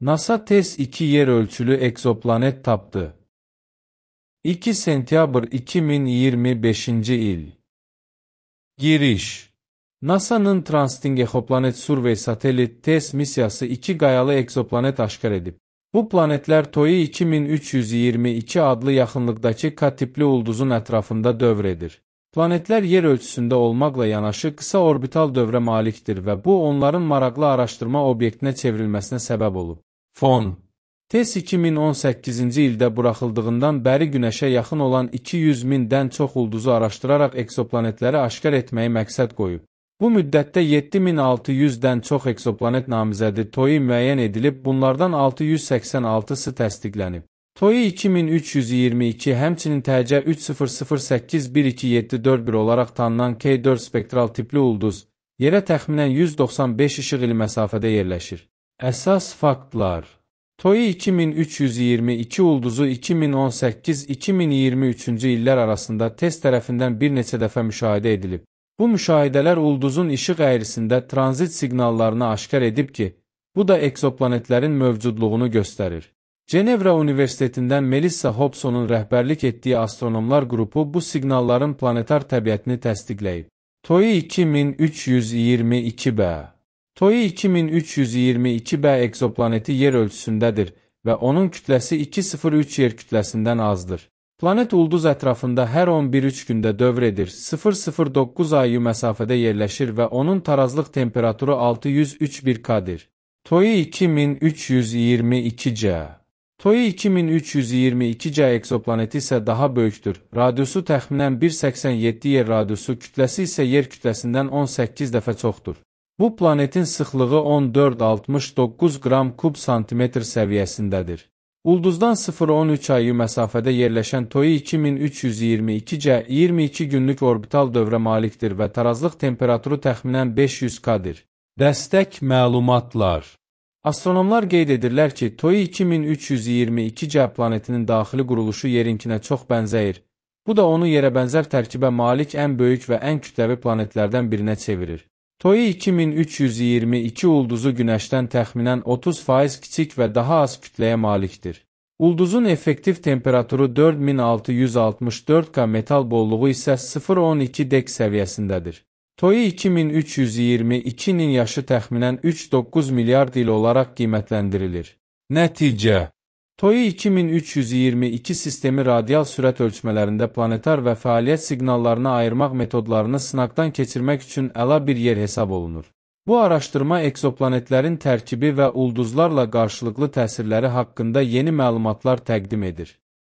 NASA TESS 2 yer ölçülü egzoplanet tapdı. 2 sentyabr 2025 il. Giriş. NASA'nın Transiting Exoplanet Survey Satellite TESS missiyası 2 qayalı egzoplanet aşkar edib. Bu planetlər TOI 2322 adlı yaxınlıqdakı K tipli ulduzun ətrafında dövr edir. Planetlər yer ölçüsündə olmaqla yanaşı qısa orbital dövrə malikdir və bu onların maraqlı araşdırma obyektinə çevrilməsinə səbəb olub. Fon. TESS 2018-ci ildə buraxıldığından bəri Günəşə yaxın olan 200 mindən çox ulduzu araşdıraraq egzoplanetləri aşkar etməyi məqsəd qoyub. Bu müddətdə 7600-dən çox egzoplanet namizədi TOI müəyyən edilib, bunlardan 686-sı təsdiqlənib. TOI 2322 həmçinin TC 300812741 olaraq tanınan K4 spektral tipli ulduz, yerə təxminən 195 işıq ili məsafədə yerləşir. Əsas faktlar. TOI 2322 ulduzu 2018-2023-cü illər arasında TESS tərəfindən bir neçə dəfə müşahidə edilib. Bu müşahidələr ulduzun işıq əyrisində tranzit siqnallarını aşkar edib ki, bu da egzoplanetlərin mövcudluğunu göstərir. Cenevra Universitetindən Melissa Hobsonun rəhbərlik etdiyi astronomlar qrupu bu siqnalların planetar təbiətini təsdiqləyib. TOI 2322b. TOI 2322b egzoplaneti yer ölçüsündədir və onun kütləsi 2,03 yer kütləsindən azdır. Planet ulduz ətrafında hər 11-3 gündə dövr edir, 0,09 ayı məsafədə yerləşir və onun tarazlıq temperaturu 603 K-dir. TOI 2322c. TOI 2322c egzoplaneti isə daha böyükdür. Radiusu təxminən 1,87 yer radiusu, kütləsi isə yer kütləsindən 18 dəfə çoxdur. Bu planetin sıxlığı 14,69 qram kub santimetr səviyyəsindədir. Ulduzdan 0,13 ayı məsafədə yerləşən TOI 2322c 22 günlük orbital dövrə malikdir və tarazlıq temperaturu təxminən 500 K-dir. Dəstək məlumatlar. Astronomlar qeyd edirlər ki, TOI 2322c planetinin daxili quruluşu yerinkinə çox bənzəyir. Bu da onu yerə bənzər tərkibə malik ən böyük və ən kütləvi planetlərdən birinə çevirir. TOI 2322 ulduzu Günəşdən təxminən 30% kiçik və daha az kütləyə malikdir. Ulduzun effektiv temperaturu 4664 K, metal bolluğu isə 0,12 dek səviyyəsindədir. TOI 2322-nin yaşı təxminən 3,9 milyard il olaraq qiymətləndirilir. Nəticə. TOI 2322 sistemi radial sürət ölçmələrində planetar və fəaliyyət siqnallarını ayırmaq metodlarını sınaqdan keçirmək üçün əla bir yer hesab olunur. Bu araşdırma egzoplanetlərin tərkibi və ulduzlarla qarşılıqlı təsirləri haqqında yeni məlumatlar təqdim edir.